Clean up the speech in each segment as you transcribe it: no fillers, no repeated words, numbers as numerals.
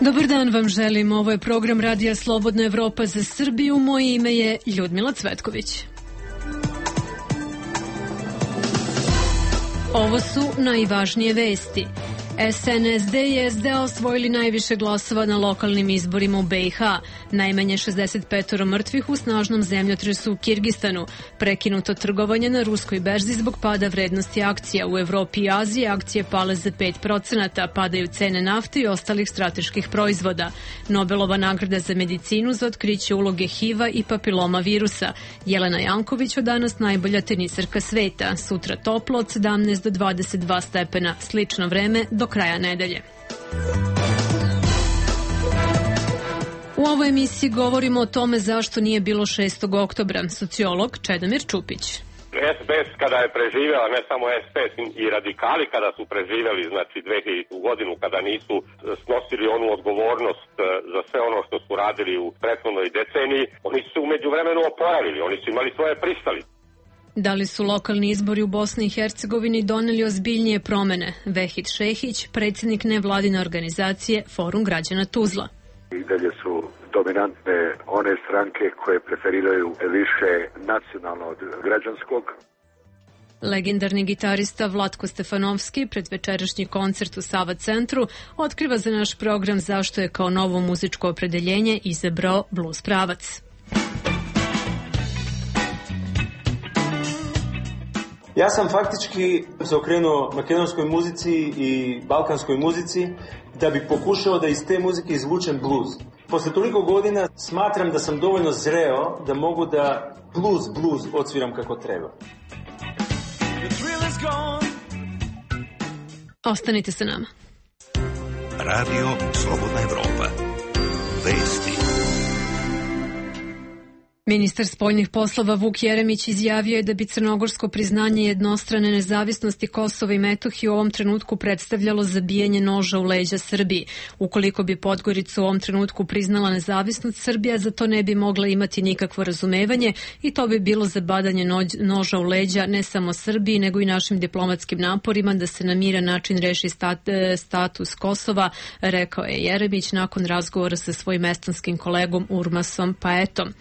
Dobar dan vam želim, ovo je program Radija Slobodna Evropa za Srbiju, moje ime je Ljudmila Cvetković. Ovo su najvažnije vesti. SNSD i SDA osvojili najviše glasova na lokalnim izborima u BiH. Najmanje 65 mrtvih u snažnom zemljotresu u Kirgistanu. Prekinuto trgovanje na ruskoj berzi zbog pada vrednosti akcija. U Evropi i Aziji akcije pale za 5%, padaju cene nafte i ostalih strateških proizvoda. Nobelova nagrada za medicinu za otkriće uloge HIV-a i papiloma virusa. Jelena Janković od danas najbolja tenisarka sveta. Sutra toplo od 17 do 22 stepena. Slično vreme do kraja nedelje. U ovoj emisiji govorimo o tome zašto nije bilo 6. oktobra. Sociolog Čedomir Čupić. SPS kada je preživjela, ne samo SPS i radikali kada su preživjeli, znači 2000. godinu kada nisu snosili onu odgovornost za sve ono što su radili u prethodnoj deceniji, oni su umeđu vremenu oporavili, oni su imali svoje pristalice. Da li su lokalni izbori u Bosni i Hercegovini doneli ozbiljnije promene? Vehid Šehić, predsjednik nevladine organizacije Forum građana Tuzla. I dalje su dominantne one stranke koje preferiraju više nacionalno od građanskog. Legendarni gitarista Vlatko Stefanovski pred večerašnji koncert u Sava centru otkriva za naš program zašto je kao novo muzičko opredeljenje izabrao blues pravac. Ja sam faktički se okrenuo makedonskoj muzici i balkanskoj muzici da bi pokušao da iz te muzike izvučem blues. Posle toliko godina smatram da sam dovoljno zreo da mogu da blues odsviram kako treba. Ostanite sa nama. Radio Slobodna Evropa. Vesti. Ministar spoljnih poslova Vuk Jeremić izjavio je da bi crnogorsko priznanje jednostrane nezavisnosti Kosova i Metohije u ovom trenutku predstavljalo zabijanje noža u leđa Srbiji. Ukoliko bi Podgorica u ovom trenutku priznala nezavisnost, Srbija za to ne bi mogla imati nikakvo razumevanje i to bi bilo zabadanje noža u leđa ne samo Srbiji, nego i našim diplomatskim naporima da se na miran način reši status Kosova, rekao je Jeremić nakon razgovora sa svojim estanskim kolegom Urmasom Paetom.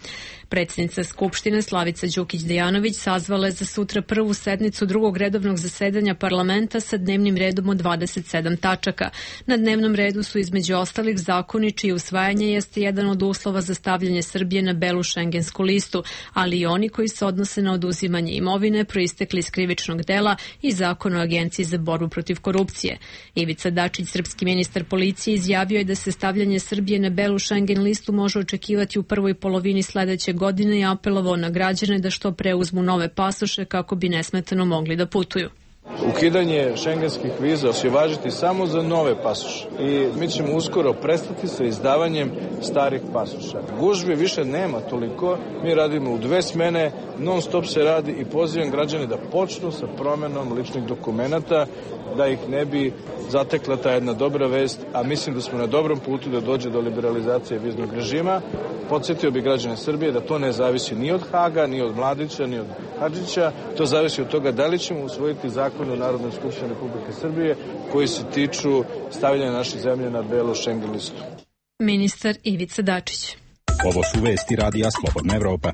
Predsjednica Skupštine Slavica Đukić-Dejanović sazvala je za sutra prvu sednicu drugog redovnog zasedanja parlamenta sa dnevnim redom od 27 tačaka. Na dnevnom redu su između ostalih zakoni čije usvajanje jeste jedan od uslova za stavljanje Srbije na belu šengensku listu, ali i oni koji se odnose na oduzimanje imovine proistekli iz krivičnog dela i zakon o Agenciji za borbu protiv korupcije. Ivica Dačić, srpski ministar policije, izjavio je da se stavljanje Srbije na belu šengen listu može očekivati u prvoj polovini sledeće godine i apelovao na građane da što pre uzmu nove pasoše kako bi nesmetano mogli da putuju. Ukidanje šengenskih viza će važiti samo za nove pasoše i mi ćemo uskoro prestati sa izdavanjem starih pasoša. Gužvi više nema toliko, mi radimo u 2 smene, non stop se radi i pozivam građane da počnu sa promenom ličnih dokumenata, da ih ne bi zatekla ta jedna dobra vest, a mislim da smo na dobrom putu da dođe do liberalizacije viznog režima. Podsjetio bi građane Srbije da to ne zavisi ni od Haga, ni od Mladića, ni od Hadžića, to zavisi od toga da li ćemo usvojiti zakon u Narodnoj skupštini Republike Srbije koji se tiču stavljanja naše zemlje na belu šengen listu. Ministar Ivica Dačić. Ovo su vesti Radija Slobodna Evropa.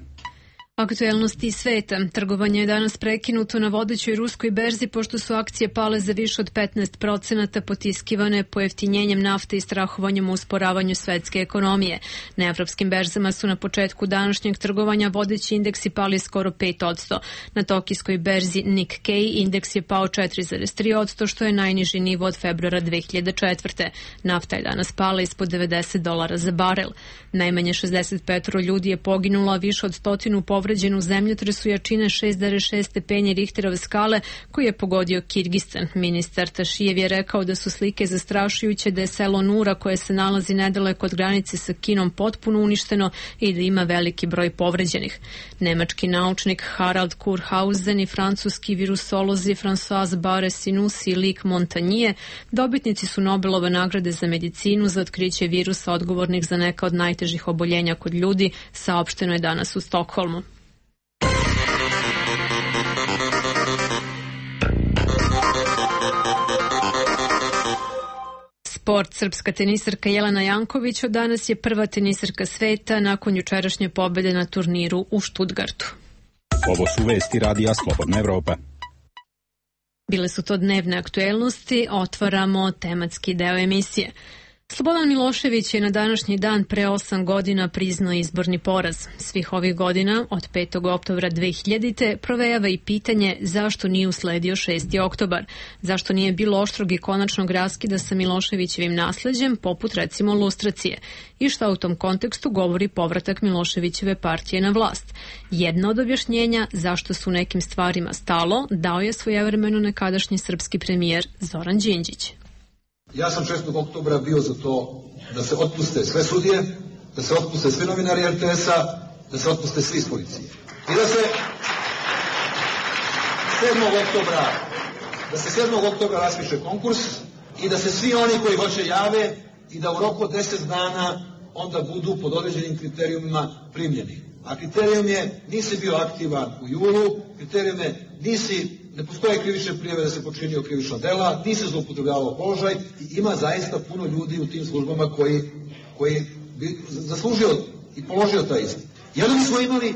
Aktuelnosti sveta. Trgovanje je danas prekinuto na vodećoj ruskoj berzi pošto su akcije pale za više od 15%, potiskivane pojeftinjenjem nafte i strahovanjem u usporavanju svetske ekonomije. Na evropskim berzama su na početku današnjeg trgovanja vodeći indeksi pali skoro 5%. Na tokijskoj berzi Nikkei indeks je pao 4,3%, što je najniži nivo od februara 2004. Nafta je danas pala ispod $90 za barel. Najmanje 65 ljudi je poginulo, a više od 100 povređeno u zemljotresu jačine 6,6 stepeni Richterove skale koji je pogodio Kirgistan. Ministar Tašijev je rekao da su slike zastrašujuće, da je selo Nura koje se nalazi nedaleko od granice sa Kinom potpuno uništeno i da ima veliki broj povređenih. Nemački naučnik Harald Kurhausen i francuski virusolozi François Barré-Sinoussi i Luc Montagnier dobitnici su Nobelove nagrade za medicinu za otkriće virusa odgovornih za neka od najtežih oboljenja kod ljudi, saopšteno je danas u Stokholmu. Sport. Srpska tenisarka Jelena Janković od danas je prva tenisarka sveta nakon jučerašnje pobjede na turniru u Stuttgartu. Ovo su vesti Radija Slobodna Evropa. Bile su to dnevne aktuelnosti, otvaramo tematski deo emisije. Slobodan Milošević je na današnji dan pre 8 godina priznao izborni poraz. Svih ovih godina, od 5. oktobra 2000. provejava i pitanje zašto nije usledio 6. oktobar, zašto nije bilo oštrog i konačnog raskida sa Miloševićevim nasleđem, poput recimo lustracije, i šta u tom kontekstu govori povratak Miloševićeve partije na vlast. Jedno od objašnjenja zašto su nekim stvarima stalo dao je svojevremeno nekadašnji srpski premijer Zoran Đinđić. Ja sam 6. oktobra bio za to da se otpuste sve sudije, da se otpuste svi novinari RTS-a, da se otpuste svi iz policije. I da se 7. oktobra raspiše konkurs i da se svi oni koji hoće jave i da u roku od 10 dana onda budu pod određenim kriterijumima primljeni. A kriterijum je nisi bio aktivan u julu, kriterijum je ne postoje krivične prijave da se počinio krivična dela, nisi zloupotrebljavao položaj i ima zaista puno ljudi u tim službama koji bi zaslužio i položio taj ispit. I onda bismo imali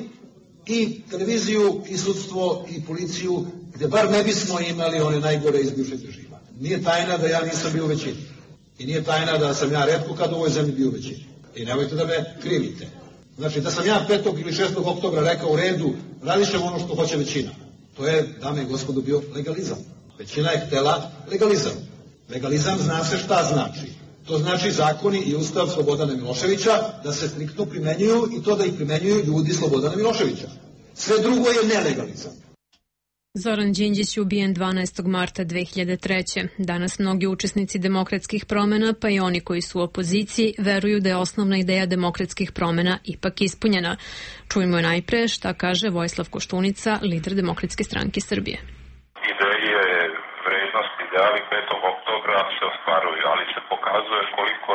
i televiziju, i sudstvo, i policiju, gde bar ne bismo imali one najgore iz bivšeg režima. Nije tajna da ja nisam bio u većini. I nije tajna da sam ja retko kad u ovoj zemlji bio u većini. I nemojte da me krivite. Znači, da sam ja 5. ili 6. oktobra rekao u redu, radit ćemo ono što hoće većina. To je, dame i gospodo, bio legalizam. Većina je htela legalizam. Legalizam zna se šta znači. To znači zakoni i ustav Slobodana Miloševića da se striktno primenjuju i to da ih primenjuju ljudi Slobodana Miloševića. Sve drugo je nelegalizam. Zoran Đinđić je ubijen 12. marta 2003. Danas mnogi učesnici demokratskih promjena, pa i oni koji su u opoziciji, veruju da je osnovna ideja demokratskih promjena ipak ispunjena. Čujmo je najpre šta kaže Vojislav Koštunica, lider Demokratske stranke Srbije. Ideje, vrednosti, ideali 5. oktobra se ostvaruju, ali se pokazuje koliko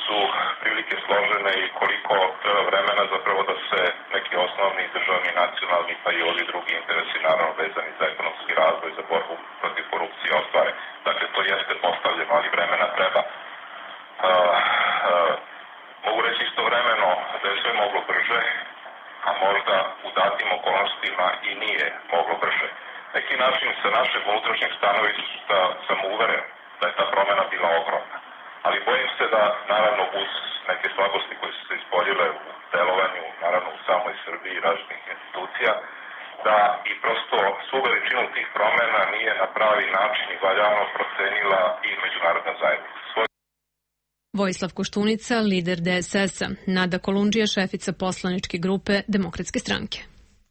su prilike složene i koliko treba vremena zapravo da se neki osnovni državni, nacionalni pa i ovi drugi interesi naravno vezani za ekonomski razvoj, za borbu protiv korupcije ostvare. Dakle, to jeste postavljeno, ali vremena treba. Mogu reći istovremeno da je sve moglo brže, a možda u datim okolnostima i nije moglo brže. Neki način sa našeg unutrašnjeg stanovišta sam uveren da je ta promjena bila ogromna. Ali bojim se da, naravno, uz neke slabosti koje su se ispoljile u delovanju, naravno u samoj Srbiji i različitih institucija, da i prosto svu veličinu tih promjena nije na pravi način i valjano procenila i međunarodna zajednica. Vojislav Koštunica, lider DSS-a, Nada Kolundžija, šefica poslaničke grupe Demokratske stranke.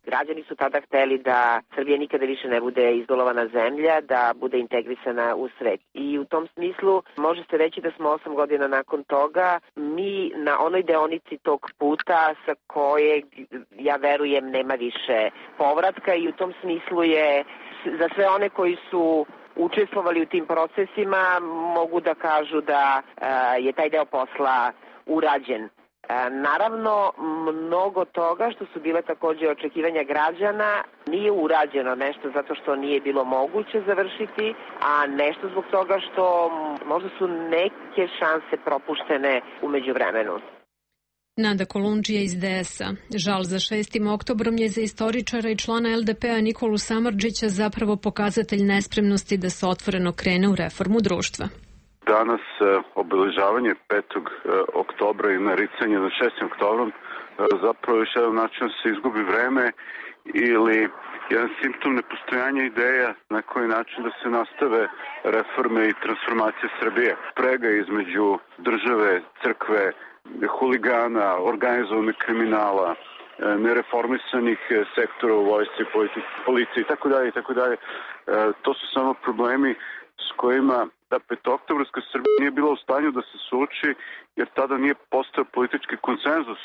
Građani su tada hteli da Srbija nikada više ne bude izolovana zemlja, da bude integrisana u svet. I u tom smislu može se reći da smo 8 godina nakon toga mi na onoj deonici tog puta sa kojeg, ja verujem, nema više povratka i u tom smislu je za sve one koji su učestvovali u tim procesima mogu da kažu da je taj deo posla urađen. Naravno, mnogo toga što su bile takođe očekivanja građana nije urađeno, nešto zato što nije bilo moguće završiti, a nešto zbog toga što možda su neke šanse propuštene u međuvremenu. Nada Kolundžija iz DS-a. Žal za 6. oktobrom je za istoričara i člana LDP-a Nikolu Samardžića zapravo pokazatelj nespremnosti da se otvoreno krene u reformu društva. Danas obeležavanje 5. oktobra i naricanje na 6. oktobrom zapravo još jedan način se izgubi vreme ili jedan simptom nepostojanja ideja na koji način da se nastave reforme i transformacije Srbije. Sprega između države, crkve, huligana, organizovanog kriminala, nereformisanih sektora u vojsci, policiji itd. To su samo problemi s kojima da 5-oktobarska Srbija nije bila u stanju da se suoči, jer tada nije postao politički konsenzus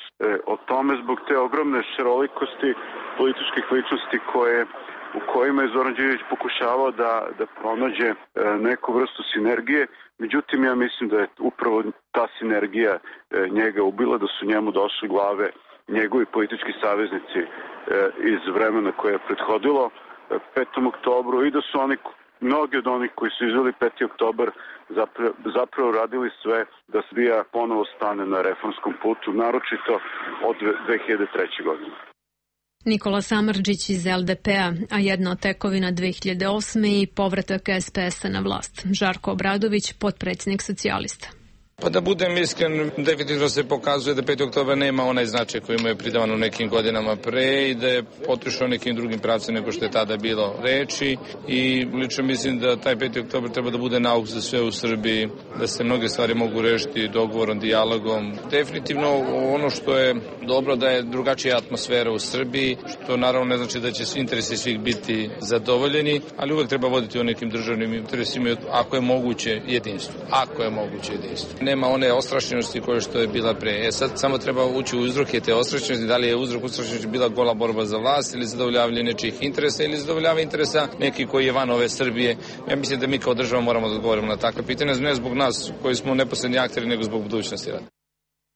o tome zbog te ogromne šarolikosti političkih ličnosti u kojima je Zoran Đinđić pokušavao da pronađe neku vrstu sinergije. Međutim, ja mislim da je upravo ta sinergija njega ubila, da su njemu došle glave njegovi politički saveznici iz vremena koje je prethodilo 5. oktobru i da su oni Mnogi od onih koji su izveli 5. oktobar zapravo radili sve da Srbija ponovo stane na reformskom putu, naročito od 2003. godine. Nikola Samardžić iz LDP-a, a jedna od tekovina 2008. i povratak SPS-a na vlast. Žarko Obradović, potpredsjednik socijalista. Pa da budem iskren, definitivno se pokazuje da 5. oktober nema onaj značaj koji mu je pridavan u nekim godinama pre i da je otišao nekim drugim pravcem nego što je tada bilo reči i lično mislim da taj 5. oktober treba da bude nauk za sve u Srbiji, da se mnoge stvari mogu rešiti dogovorom, dijalogom. Definitivno ono što je dobro da je drugačija atmosfera u Srbiji, što naravno ne znači da će svi interesi svih biti zadovoljeni, ali uvek treba voditi o nekim državnim interesima ako je moguće jedinstvo. Ako je moguće jedinstvo. Nema one ostrašćenosti koje što je bila pre. Sad samo treba ući u uzroke te ostrašćenosti, da li je uzrok ostrašćenosti bila gola borba za vlast ili zadovoljavanje nečijih interesa ili zadovoljavanje interesa neki koji je van ove Srbije. Ja mislim da mi kao država moramo da odgovorimo na takve pitanja, ne zbog nas koji smo neposredni akteri, nego zbog budućnosti rada.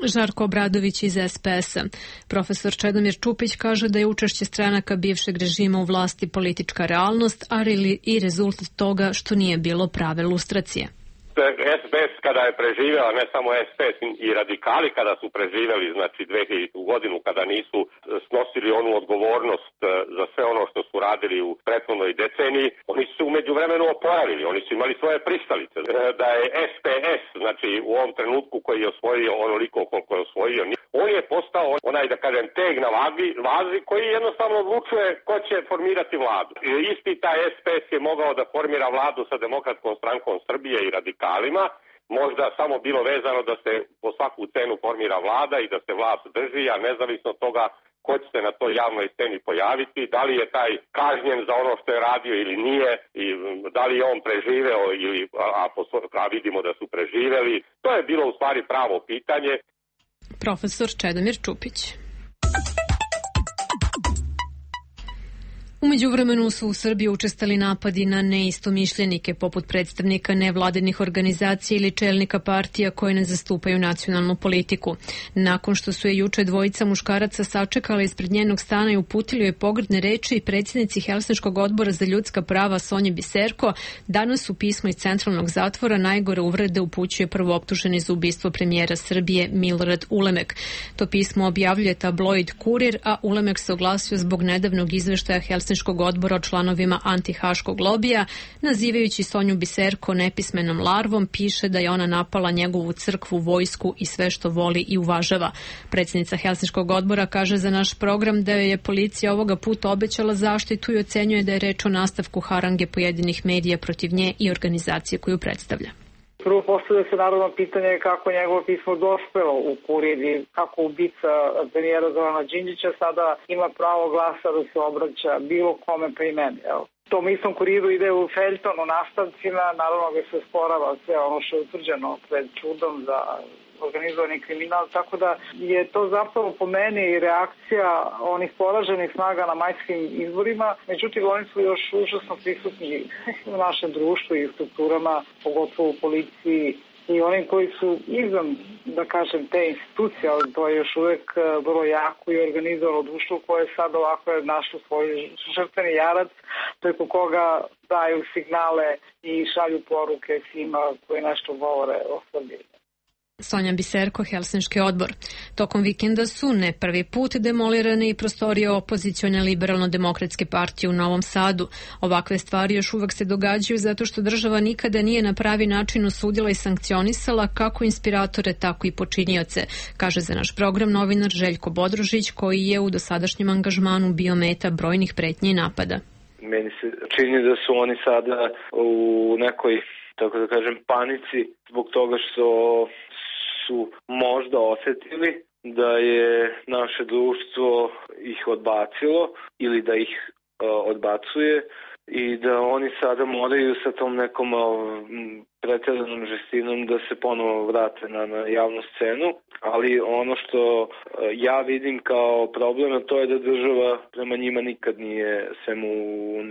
Žarko Obradović iz SPS-a. Profesor Čedomir Čupić kaže da je učešće stranaka bivšeg režima u vlasti politička realnost, ali i rezultat toga što nije bilo prave lustracije. SPS kada je preživela, ne samo SPS i radikali kada su preživeli, znači 2000. godinu kada nisu snosili onu odgovornost za sve ono što su radili u prethodnoj deceniji, oni su umeđu vremenu oporavili, oni su imali svoje pristalice. Da je SPS, znači u ovom trenutku koji je osvojio onoliko koliko je osvojio, on je postao onaj, da kažem, teg na vazi koji jednostavno odlučuje ko će formirati vladu. Isti taj SPS je mogao da formira vladu sa Demokratskom strankom Srbije i radikalima, možda samo bilo vezano da se po svaku cenu formira vlada i da se vlast drži, a nezavisno od toga ko će se na toj javnoj sceni pojaviti, da li je taj kažnjen za ono što je radio ili nije, i da li je on preživeo ili a vidimo da su preživeli. To je bilo u stvari pravo pitanje. Profesor Čedomir Čupić. U međuvremenu su u Srbiji učestali napadi na neistomišljenike poput predstavnika nevladinih organizacija ili čelnika partija koje ne zastupaju nacionalnu politiku. Nakon što su je juče dvojica muškaraca sačekala ispred njenog stana i uputili joj pogrdne reči, predsjednici Helsinškog odbora za ljudska prava Sonji Biserko danas u pismu iz centralnog zatvora najgore uvrede upućuje prvooptuženi za ubistvo premijera Srbije Milorad Ulemek. To pismo objavljuje tabloid Kurir, a Ulemek se oglasio zbog nedavnog izveštaja Helsinškog odbora o članovima antihaškog lobija, nazivajući Sonju Biserko nepismenom larvom, piše da je ona napala njegovu crkvu, vojsku i sve što voli i uvažava. Predsjednica Helsinškog odbora kaže za naš program da je policija ovoga puta obećala zaštitu i ocenjuje da je reč o nastavku harange pojedinih medija protiv nje i organizacije koju predstavlja. Prvo postavlja se naravno pitanje kako njegovo pismo dospelo u Kurir i kako ubica premijera Zorana Đinđića sada ima pravo glasa da se obraća bilo kome pa i meni. Tom istom Kuriru ide u feljton u nastavcima, naravno ga se sporava sve ono što je utvrđeno pred sudom za organizovani kriminal, tako da je to zapravo po meni reakcija onih poraženih snaga na majskim izborima, međutim oni su još užasno prisutni u našem društvu i strukturama, pogotovo u policiji i onim koji su izvan, da kažem, te institucije, ali to je još uvek vrlo jako i organizovano društvo koje sad ovako je našlo svoj žrtveni jarac preko koga daju signale i šalju poruke svima koji nešto govore o Srbiji. Sonja Biserko, Helsinški odbor. Tokom vikenda su ne prvi put demolirane i prostorije opozicione liberalno-demokratske partije u Novom Sadu. Ovakve stvari još uvek se događaju zato što država nikada nije na pravi način osudila i sankcionisala kako inspiratore, tako i počinioce, kaže za naš program novinar Željko Bodrožić, koji je u dosadašnjem angažmanu bio meta brojnih pretnji i napada. Meni se čini da su oni sada u nekoj, tako da kažem, panici zbog toga što su možda osetili da je naše društvo ih odbacilo ili da ih odbacuje i da oni sada moraju sa tom nekom pretjeranom žestinom da se ponovo vrate na javnu scenu, ali ono što ja vidim kao problem, to je da država prema njima nikad nije, sem u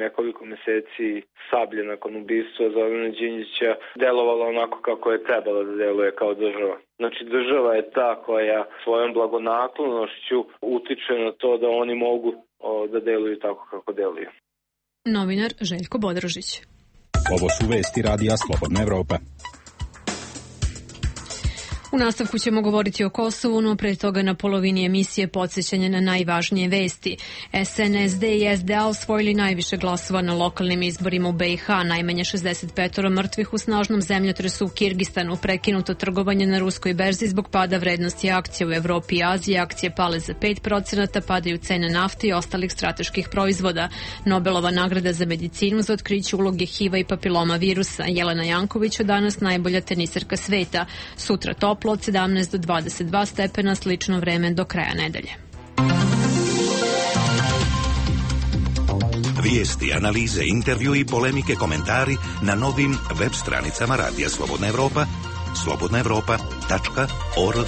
nekoliko meseci sablje nakon ubistva Zorana Đinđića, delovala onako kako je trebala da deluje kao država. Znači država je ta koja svojom blagonaklonošću utiče na to da oni mogu da deluju tako kako deluju. Novinar Željko Bodrožić. Ovo su vesti radija Slobodna Evropa. U nastavku ćemo govoriti o Kosovu, no pre toga na polovini emisije podsjećanje na najvažnije vesti. SNSD i SDA osvojili najviše glasova na lokalnim izborima u BiH, najmanje 65 mrtvih u snažnom zemljotresu u Kirgistanu, prekinuto trgovanje na ruskoj berzi zbog pada vrednosti akcija u Evropi i Aziji, akcije pale za 5%, padaju cene nafte i ostalih strateških proizvoda. Nobelova nagrada za medicinu za otkriće uloge HIV-a i papiloma virusa. Jelena Janković od danas najbolja teniserka sveta. Sutra toplo od 17 do 22 stepena, slično vreme do kraja nedelje. Vijesti, analize, intervju i polemike, komentari na novim web stranicama Radija Slobodna Evropa, slobodnaevropa.org.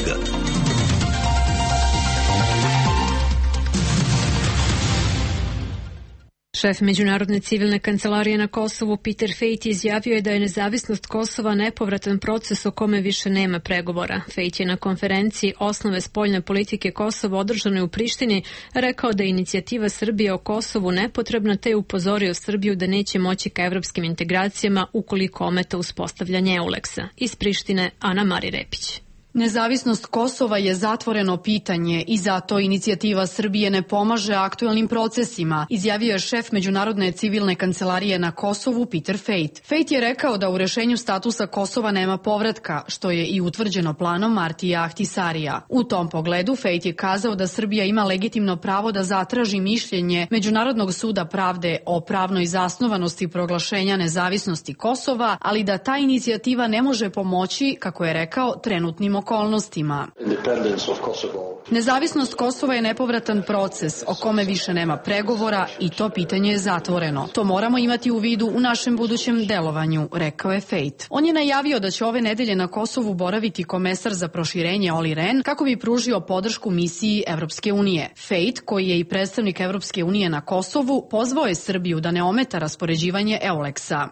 Šef Međunarodne civilne kancelarije na Kosovu Peter Fejt izjavio je da je nezavisnost Kosova nepovratan proces o kome više nema pregovora. Fejt je na konferenciji Osnove spoljne politike Kosova održanoj u Prištini rekao da je inicijativa Srbije o Kosovu nepotrebna, te je upozorio Srbiju da neće moći ka evropskim integracijama ukoliko ometa uspostavljanje EULEX-a. Iz Prištine Ana Mari Repić. Nezavisnost Kosova je zatvoreno pitanje i zato inicijativa Srbije ne pomaže aktuelnim procesima, izjavio je šef Međunarodne civilne kancelarije na Kosovu Peter Fejt. Fejt je rekao da u rešenju statusa Kosova nema povratka, što je i utvrđeno planom Martija Ahtisarija. U tom pogledu Fejt je kazao da Srbija ima legitimno pravo da zatraži mišljenje Međunarodnog suda pravde o pravnoj zasnovanosti proglašenja nezavisnosti Kosova, ali da ta inicijativa ne može pomoći, kako je rekao, trenutnim okolnostima. Nezavisnost Kosova je nepovratan proces o kome više nema pregovora i to pitanje je zatvoreno. To moramo imati u vidu u našem budućem delovanju, rekao je Fejt. On je najavio da će ove nedelje na Kosovu boraviti komesar za proširenje Olli Rehn kako bi pružio podršku misiji Evropske unije. Fejt, koji je i predstavnik Evropske unije na Kosovu, pozvao je Srbiju da ne ometa raspoređivanje EULEX-a.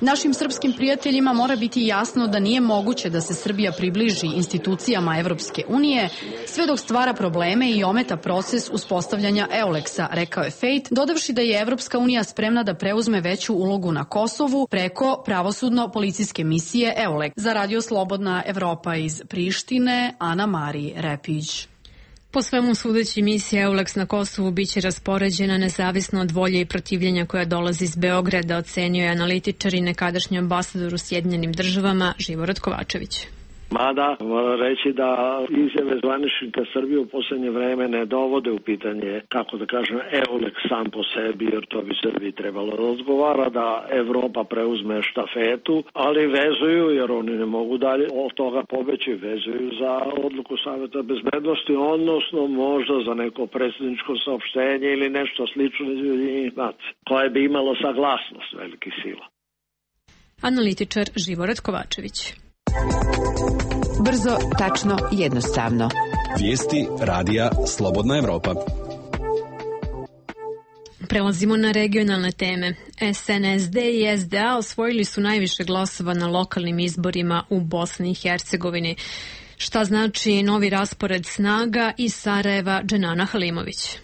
Našim srpskim prijateljima mora biti jasno da nije moguće da se Srbija približi institucijama Evropske unije sve dok stvara probleme i ometa proces uspostavljanja EULEX-a, rekao je Fejt, dodavši da je Evropska unija spremna da preuzme veću ulogu na Kosovu preko pravosudno-policijske misije EULEX. Za Radio Slobodna Evropa iz Prištine, Ana Mari Repić. Po svemu sudeći, misija EULEX na Kosovu biće raspoređena nezavisno od volje i protivljenja koja dolazi iz Beograda, ocenio je analitičar i nekadašnji ambasador u Sjedinjenim Državama Živorad Kovačević. Mada, moram reći da izjave zvaničnika Srbije u posljednje vreme ne dovode u pitanje, kako da kažem, EULEX sam po sebi, jer to bi Srbiji trebalo da odgovara, da Evropa preuzme štafetu, ali vezuju, jer oni ne mogu dalje od toga pobeći, vezuju za odluku Saveta bezbednosti, odnosno možda za neko predsjedničko saopštenje ili nešto slično iz Ujedinjenih nacija, koje bi imalo saglasnost velikih sila. Analitičar Živorad Kovačević. Brzo, tačno, jednostavno. Vijesti radija Slobodna Evropa. Prelazimo na regionalne teme. SNSD i SDA osvojili su najviše glasova na lokalnim izborima u Bosni i Hercegovini. Šta znači novi raspored snaga iz Sarajeva? Dženana Halimović.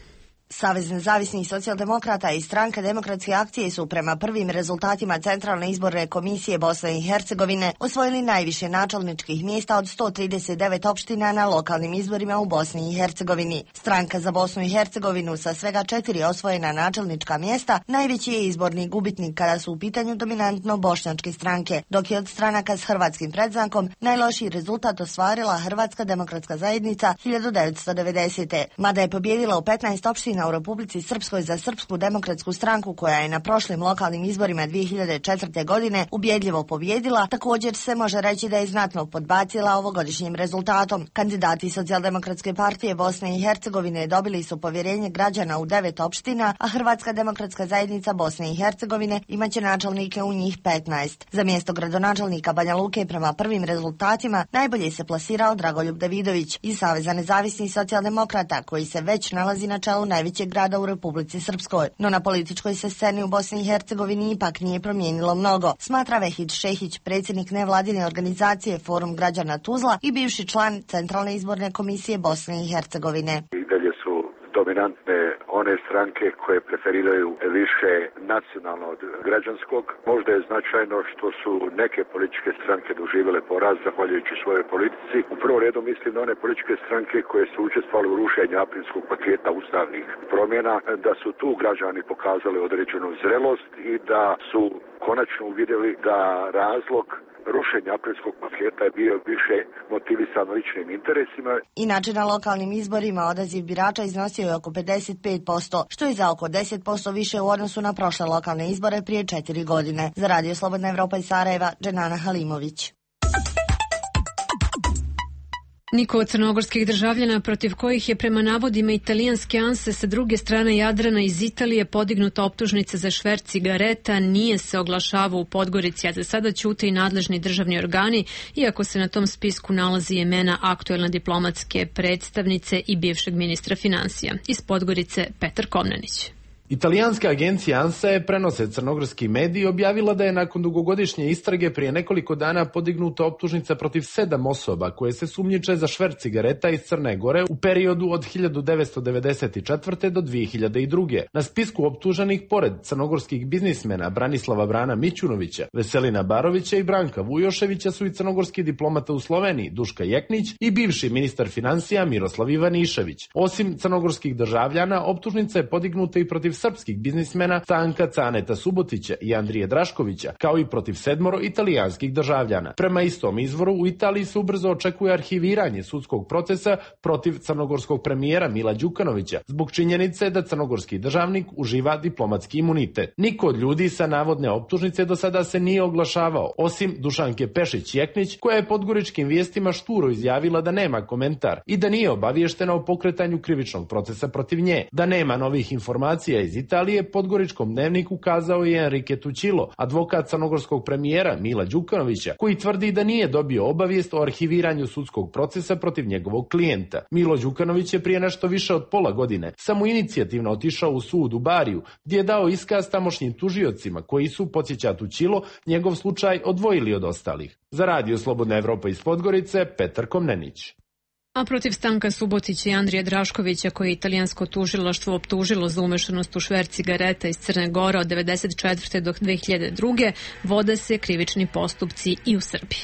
Savez nezavisnih socijaldemokrata i Stranka demokratske akcije su prema prvim rezultatima Centralne izborne komisije Bosne i Hercegovine osvojili najviše načelničkih mjesta od 139 opština na lokalnim izborima u Bosni i Hercegovini. Stranka za Bosnu i Hercegovinu sa svega 4 osvojena načelnička mjesta najveći je izborni gubitnik kada su u pitanju dominantno bošnjačke stranke, dok je od stranaka s hrvatskim predznakom najlošiji rezultat ostvarila Hrvatska demokratska zajednica 1990. Mada je pobjedila u 15 opština u Republici Srpskoj za Srpsku demokratsku stranku koja je na prošlim lokalnim izborima 2004. godine ubjedljivo pobjedila, također se može reći da je znatno podbacila ovogodišnjim rezultatom. Kandidati Socijaldemokratske partije Bosne i Hercegovine dobili su povjerenje građana u 9 opština, a Hrvatska demokratska zajednica Bosne i Hercegovine imaće načelnike u njih 15. Za mjesto gradonačelnika Banja Luke prema prvim rezultatima najbolje se plasirao Dragoljub Davidović iz Saveza nezavisnih socijaldemokrata koji se već nalazi na čelu najvećeg grada u Republici Srpskoj. No na političkoj se sceni u Bosni i Hercegovini ipak nije promijenilo mnogo, smatra Vehid Šehić, predsjednik nevladine organizacije Forum građana Tuzla i bivši član Centralne izborne komisije Bosne i Hercegovine. I dalje su dominantne one stranke koje preferiraju više nacionalno od građanskog. Možda je značajno što su neke političke stranke doživjele poraz zahvaljujući svojoj politici. U prvom redu mislim na one političke stranke koje su učestvovale u rušenju aprilskog paketa ustavnih promjena, da su tu građani pokazali određenu zrelost i da su konačno uvidjeli da razlog rušenja aprilskog paketa je bio više motivisan ličnim interesima. Inače, na lokalnim izborima odaziv birača iznosio je oko 55%, što je za oko 10% više u odnosu na prošle lokalne izbore prije 4 godine. Za Radio Slobodna Evropa iz Sarajeva, Dženana Halimović. Niko od crnogorskih državljana protiv kojih je prema navodima italijanske ANSE sa druge strane Jadrana iz Italije podignuta optužnica za šverc cigareta nije se oglašavao u Podgorici, a za sada ćute i nadležni državni organi, iako se na tom spisku nalazi imena aktuelne diplomatske predstavnice i bivšeg ministra finansija. Iz Podgorice Petar Komnenić. Italijanska agencija ANSA prenose crnogorski mediji objavila da je nakon dugogodišnje istrage prije nekoliko dana podignuta optužnica protiv 7 osoba koje se sumnjiče za šverc cigareta iz Crne Gore u periodu od 1994. do 2002. Na spisku optuženih pored crnogorskih biznismena Branislava Brana Mićunovića, Veselina Barovića i Branka Vujoševića su i crnogorski diplomata u Sloveniji Duška Jeknić i bivši ministar financija Miroslav Ivanišević. Osim crnogorskih državljana, optužnica je podignuta i protiv srpskih biznismena Stanka Caneta Subotića i Andrije Draškovića, kao i protiv 7 italijanskih državljana. Prema istom izvoru, u Italiji se ubrzo očekuje arhiviranje sudskog procesa protiv crnogorskog premijera Mila Đukanovića, zbog činjenice da crnogorski državnik uživa diplomatski imunitet. Niko od ljudi sa navodne optužnice do sada se nije oglašavao, osim Dušanke Pešić-Jeknić, koja je podgoričkim vijestima šturo izjavila da nema komentar i da nije obaviještena o pokretanju krivičnog procesa protiv nje. Da nema novih informacija iz Italije, Podgoričkom dnevniku kazao je Enrique Tucilo, advokat crnogorskog premijera Mila Đukanovića, koji tvrdi da nije dobio obavijest o arhiviranju sudskog procesa protiv njegovog klijenta. Milo Đukanović je prije nešto više od pola godine samoinicijativno otišao u sud u Bariju, gdje je dao iskaz tamošnjim tužiocima koji su, podsjeća Tucilo, njegov slučaj odvojili od ostalih. Za Radio Slobodna Evropa iz Podgorice, Petar Komnenić. A protiv Stanka Subotića i Andrije Draškovića, koje je italijansko tužilaštvo optužilo za umešanost u šverc cigareta iz Crne Gore od 1994. do 2002. vode se krivični postupci i u Srbiji.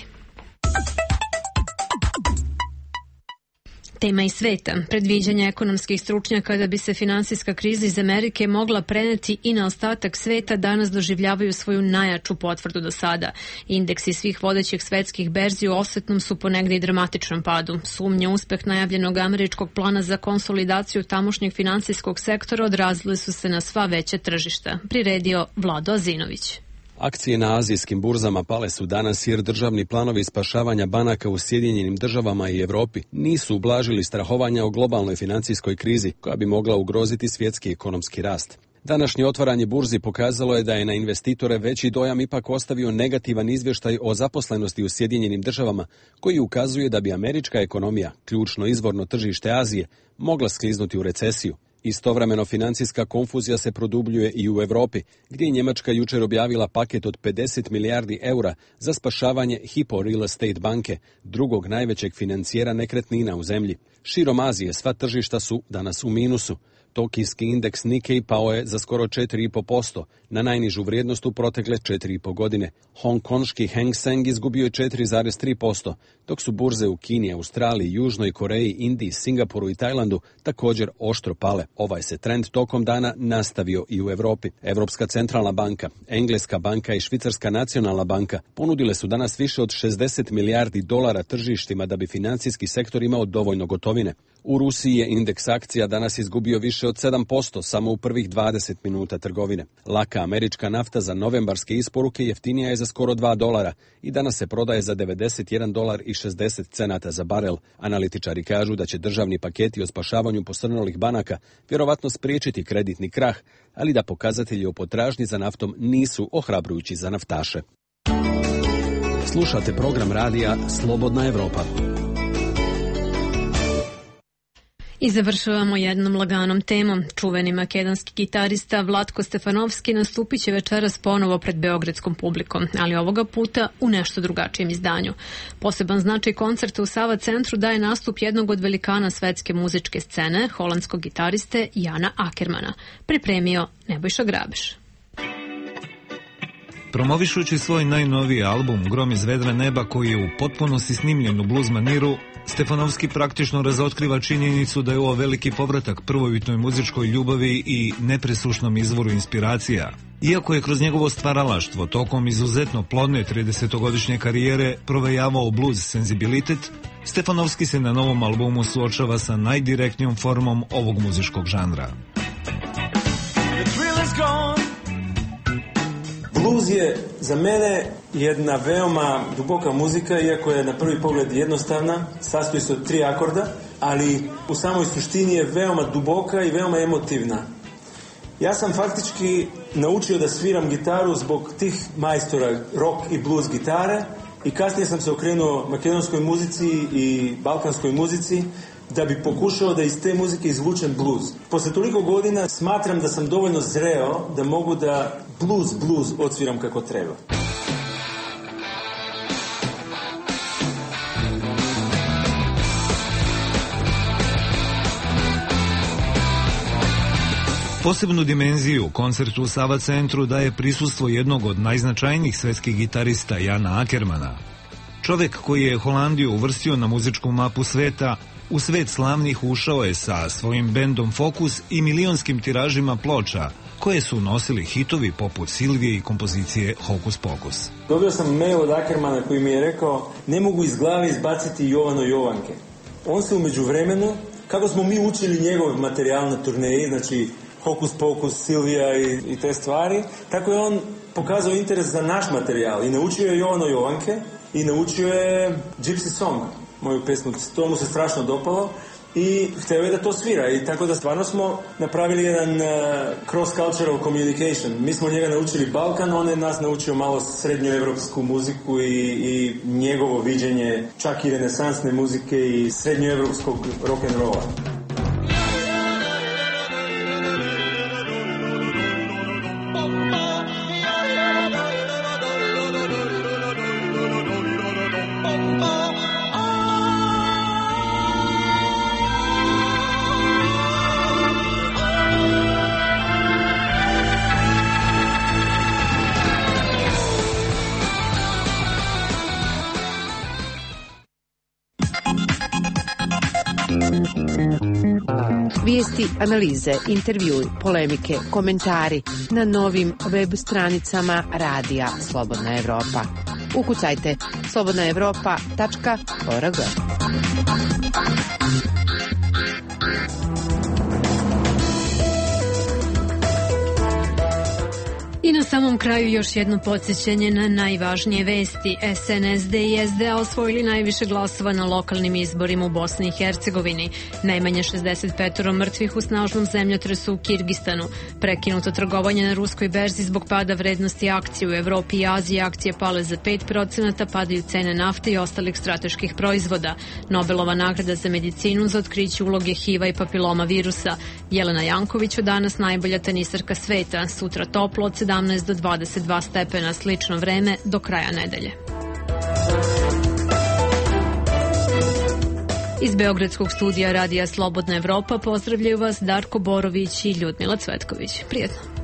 Tema iz sveta. Predviđanja ekonomskih stručnjaka da bi se finansijska kriza iz Amerike mogla preneti i na ostatak sveta danas doživljavaju svoju najjaču potvrdu do sada. Indeksi svih vodećih svetskih berzi u osvetnom su ponegde i dramatičnom padu. Sumnje uspeh najavljenog američkog plana za konsolidaciju tamošnjeg finansijskog sektora odrazile su se na sva veća tržišta. Priredio Vlado Azinović. Akcije na azijskim burzama pale su danas jer državni planovi spašavanja banaka u Sjedinjenim državama i Europi nisu ublažili strahovanja o globalnoj financijskoj krizi koja bi mogla ugroziti svjetski ekonomski rast. Današnje otvaranje burzi pokazalo je da je na investitore veći dojam ipak ostavio negativan izvještaj o zaposlenosti u Sjedinjenim državama, koji ukazuje da bi američka ekonomija, ključno izvorno tržište Azije, mogla skliznuti u recesiju. Istovremeno financijska konfuzija se produbljuje i u Europi, gdje je Njemačka jučer objavila paket od 50 milijardi eura za spašavanje Hypo Real Estate banke, drugog najvećeg financijera nekretnina u zemlji. Širom Azije sva tržišta su danas u minusu. Tokijski indeks Nikkei pao je za skoro 4,5%, na najnižu vrijednost u protekle 4,5 godine. Hongkonški Hang Seng izgubio je 4,3%, dok su burze u Kini, Australiji, Južnoj Koreji, Indiji, Singapuru i Tajlandu također oštro pale. Ovaj se trend tokom dana nastavio i u Europi. Europska centralna banka, Engleska banka i Švicarska nacionalna banka ponudile su danas više od 60 milijardi dolara tržištima da bi financijski sektor imao dovoljno gotovine. U Rusiji je indeks akcija danas izgubio više od 7% samo u prvih 20 minuta trgovine. Laka američka nafta za novembarske isporuke jeftinija je za skoro $2 i danas se prodaje za $91,60 za barel. Analitičari kažu da će državni paketi o spašavanju posrnulih banaka vjerovatno spriječiti kreditni krah, ali da pokazatelji o potražnji za naftom nisu ohrabrujući za naftaše. Slušate program radija Slobodna Evropa. I završavamo jednom laganom temom. Čuveni makedonski gitarista Vlatko Stefanovski nastupit će večeras ponovo pred beogradskom publikom, ali ovoga puta u nešto drugačijem izdanju. Poseban značaj koncerta u Sava centru daje nastup jednog od velikana svetske muzičke scene, holandskog gitariste Jana Akermana. Pripremio Nebojša Grabeš. Promovišući svoj najnoviji album Grom iz vedra neba, koji je u potpunosti snimljen u blues maniru, Stefanovski praktično razotkriva činjenicu da je ovo veliki povratak prvobitnoj muzičkoj ljubavi i nepresušnom izvoru inspiracija. Iako je kroz njegovo stvaralaštvo tokom izuzetno plodne 30-godišnje karijere provejavao blues senzibilitet, Stefanovski se na novom albumu suočava sa najdirektnijom formom ovog muzičkog žanra. Blues je za mene jedna veoma duboka muzika, iako je na prvi pogled jednostavna, sastoji se od 3 akorda, ali u samoj suštini je veoma duboka i veoma emotivna. Ja sam faktički naučio da sviram gitaru zbog tih majstora rock i blues gitare i kasnije sam se okrenuo makedonskoj muzici i balkanskoj muzici da bi pokušao da iz te muzike izvučem blues. Posle toliko godina smatram da sam dovoljno zreo da mogu da blues odsviram kako treba. Posebnu dimenziju koncertu u Sava centru daje prisustvo jednog od najznačajnijih svetskih gitarista Jana Akermana. Čovek koji je Holandiju uvrstio na muzičku mapu sveta, u svet slavnih ušao je sa svojim bendom Fokus i milionskim tiražima ploča, koje su nosili hitovi poput Silvije i kompozicije Hokus Pokus. Dobio sam mail od Akermana koji mi je rekao: ne mogu iz glave izbaciti Jovano Jovanke. On se u međuvremenu, kako smo mi učili njegov materijal na turneji, znači Hokus Pokus, Silvija i te stvari, tako je on pokazao interes za naš materijal i naučio je Jovano Jovanke i naučio je Gypsy Song, moju pesmu. To mu se strašno dopalo i hteo je da to svira, i tako da stvarno smo napravili jedan cross-cultural communication. Mi smo njega naučili Balkan, on je nas naučio malo srednjoevropsku muziku i njegovo viđenje čak i renesansne muzike i srednjoevropskog rock'n'rolla. Vijesti, analize, intervjui, polemike, komentari na novim web stranicama Radija Slobodna Evropa. Ukucajte slobodnaevropa.org. I na samom kraju još jedno podsjećanje na najvažnije vesti. SNSD i SDA osvojili najviše glasova na lokalnim izborima u Bosni i Hercegovini. Najmanje 65 mrtvih u snažnom zemljotresu u Kirgistanu. Prekinuto trgovanje na ruskoj berzi zbog pada vrednosti akcije u Evropi i Aziji. Akcije pale za 5%, padaju cene nafte i ostalih strateških proizvoda. Nobelova nagrada za medicinu za otkriće uloge HIV-a i papiloma virusa. Jelena Janković danas najbolja tenisarka sveta. Sutra toplo od 17 do 22 stepena, slično vreme do kraja nedelje. Iz beogradskog studija Radija Slobodna Evropa pozdravljaju vas Darko Borović i Ljudmila Cvetković. Prijetno.